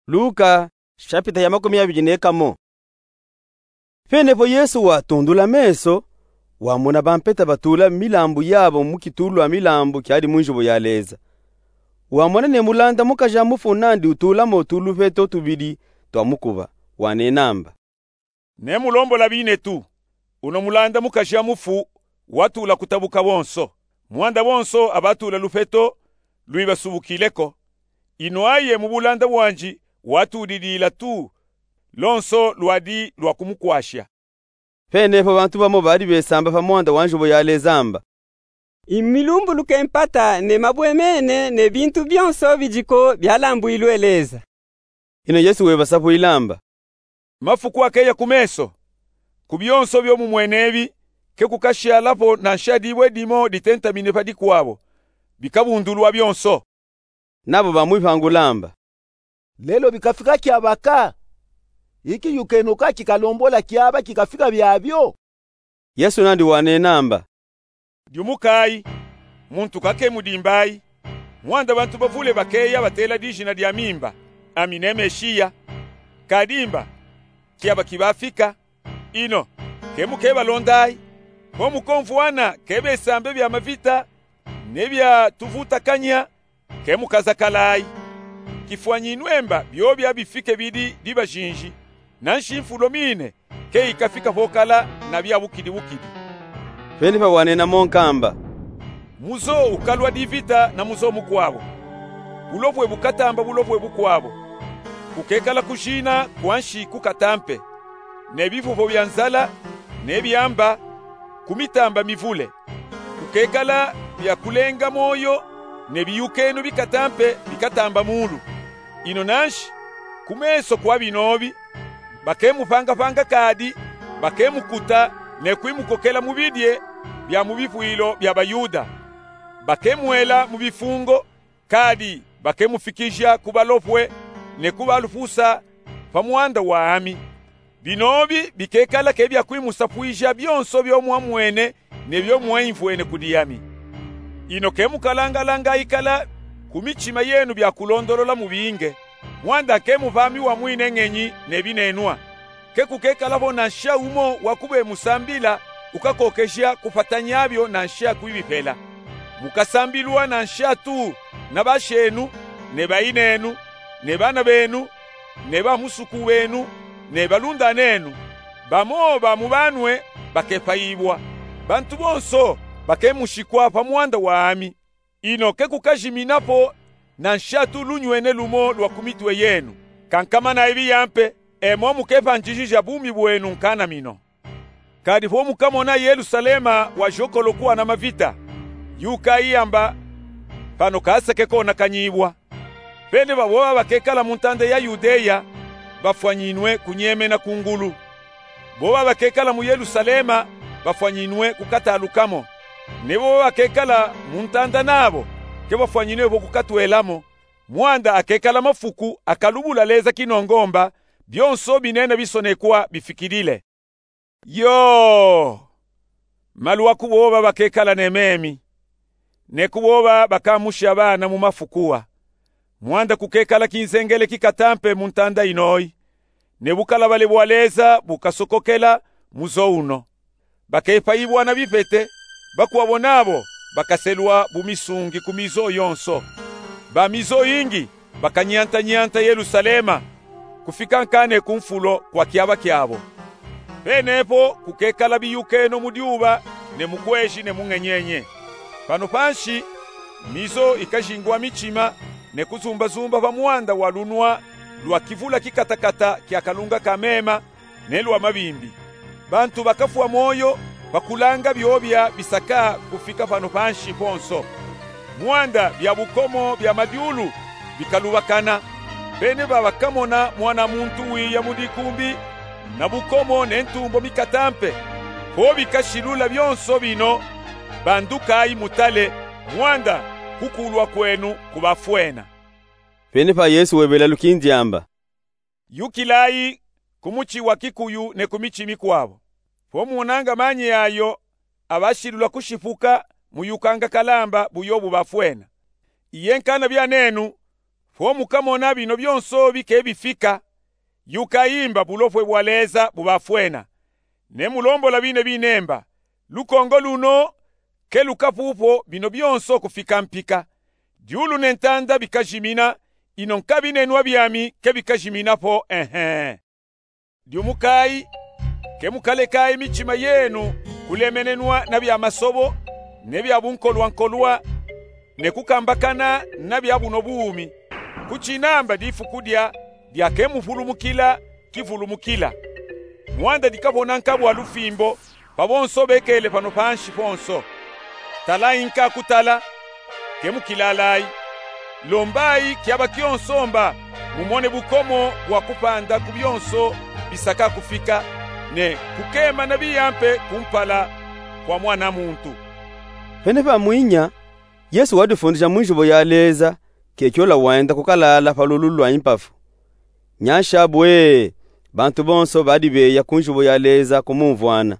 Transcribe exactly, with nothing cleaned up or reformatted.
Luka, shapita ya makumi abidi ne kamo. Penepo Yesu watundula meso, wamona bampeta batula milambu yabo mu kitulu a milambu kiadi mu nzubu ya Leza. Wamona ne mulanda mukaja mufu nandi utulamo tuluveto tubidi twa mukuba, wanenamba: Ne mulombola binetu, uno mulanda mukaja mufu watula kutabuka bonso, mwanda bonso abatula luveto lwibasubukileko. Ino aye mu bulanda bwandi watudidila tu, lonso lwadi lwa kumukwasha. Penepo bantu bamo badi besamba pa mwanda wa nzubu ya Leza amba: Imilumbuluke mpata ne mabwemene ne bintu bionso bidiko bialambwilwe Leza. Ino Yesu webasapwila amba: Mafuku akeya ku meso, ku bionso bio mumwene ebi, ke kukashala po na nsha dibwe dimo ditentamine pa dikwabo, bikabundulwa bionso. Nabo bamwipangula amba: Lelo bikafika kiabaka? Ikiyukeno ka kikalombola kiaba kikafika biabio? Yesu nandi wanenamba: Diumukayi, muntu kakemudimbayi. Mwanda bantu bavule bakeya batela dijina diami mba: Ami ne Meshiya. Kadi mba, kiaba kibafika. Ino, ke mukebalondayi? Ko mukomvwana ke besambe bia mavita ne bia tuvutakanya? Ke mukazakalayi. Kifwanyinwe mba biobia bifike bidi dibajinji, nanshi nfulo mine ke ikafika vo kala na bia bukidi bukidi. Penepa wanena mo nkamba: Muzo ukalwa divita na muzo mukwabo. Bulopwe bukatamba bulopwe bukwabo. Kukekala kujina kwa nshi ku katampe, ne bivuvo bia nzala, ne biamba, ku mitamba mivule. Kukekala bia kulenga moyo, ne biyukeno bikatampe bikatamba mulu. Ino nanshi, ku meso kwa binobi, bakemupangapanga kadi, bakemukuta, ne kwimukokela mu bidie bia mu bivwilo bia Bayuda. Bakemwela mu bifungo, kadi bakemufikija ku balopwe ne ku balupusa pa mwanda wami. Binobi bikekala ke bia kwimusapwija bionso bio mwamwene ne bio mwaimvwene kudi ami. Ino ke mukalangalanga ikala ku mitima yenu bia kulondolola mubinge, mwanda ke mupamiwa mwine ngenyi ne binenwa. Ke kukekala vo na nsha umo wa kubemusambila ukakokeja kupatanya bio na nsha kwibipela. Mukasambilwa na nsha tu na bashenu, ne bayinenu, ne bana benu, ne bamusuku benu, ne balundanenu. Bamo ba mu banwe bakepayibwa. Bantu bonso bakemushikwa pa mwanda wami. Ino ke kukajimina po na nsha tu lunywene lumo lwa ku mitwe yenu. Kankamana ebi yampe, e mo mukepanjijija bumi bwenu nkanamino. Kadi vo mukamona Yelusalema wajokolokwa na mavita, yukayi amba: Pano kaseke konakanyibwa. Pene baboba bakekala mu ntanda ya Yudeya bafwanyinwe kunyemena ku ngulu. Boba bakekala mu Yelusalema bafwanyinwe kukatalukamo. Ne boba bakekala mu ntanda nabo ke bafwanyinwe vo kukatwelamo, mwanda akekala mafuku akalubula Leza Kinongomba, bionso binena bisonekwa bifikilile. Yo! Malu wa ku boba bakekala ne memi, ne ku boba bakamusha bana mu mafuku a. Mwanda kukekala kinzengele kikatampe mu ntanda inoyi, ne bukalabale bwa Leza bukasokokela muzo uno. Bakepayibwa na bipete, bakwabo nabo bakaselwa bumisungi ku mizo yonso. Ba mizo yingi bakanyantanyanta Yelusalema, kufika nkane ku nfulo kwa kiaba kiabo. Penepo kukekala biyukeno mu dyuba, ne mu kweji, ne mu ngenyenye. Pano panshi, mizo ikajingwa mitima, ne kuzumbazumba pa mwanda wa lunwa lwa kivula kikatakata kya kalunga ka mema, ne lwa mabimbi. Bantu bakafwa mwoyo pa kulanga byobya bisaka kufika pano panshi ponso. Mwanda bya bukomo bya madyulu bikalubakana. Bene babakamona Mwana muntu wiya mu dikumbi, na bukomo ne ntumbo mikatampe. Ko bikashilula byonso bino, bandukayi mutale, mwanda kukulwa kwenu kubafwena. Pene pa Yesu webela lukindi amba: Yukilayi ku muti wa kikuyu ne ku miti mikwabo. Fo monanga manyi ayo abashilula kushipuka, muyukanga kalamba buyo bubafwena. Iye nkana byanenu, Fo mukamona bino byonso bike bifika, yukayi mba bulopwe bwa Leza bubafwena, ne mulombola bine binemba. Lukongo luno ke lukapupwo bino byonso kufika mpika. Dyulu ne ntanda bikajimina, ino nkabi ne nwa byami ke bikajimina po, ehe. Dyumukayi, ke mukalekayi mitima yenu kulemenenwa na bya masobo, ne bya bunkolwankolwa, ne kukambakana na bya buno bumi. Kuchinamba difu kudya dya ke mufulumukila kifulumukila. Mwanda dikapona nkabwa lufimbo pa bonso bekele pano pansi ponso. Talayi nka kutala, ke mukilalayi. Lombayi kyaba kyonso mba mumone bukomo bwa kupanda ku byonso bisaka kufika, ne kukema na biyampe kumpala kwa Mwana muntu. Pene pamwinya, Yesu wadifundisha mu nzubo ya Leza, kekyola wenda kukalala pa lulu lwa impafu. Nyansha bwe, bantu bonso badibeya ku nzubo ya Leza kumumvwana.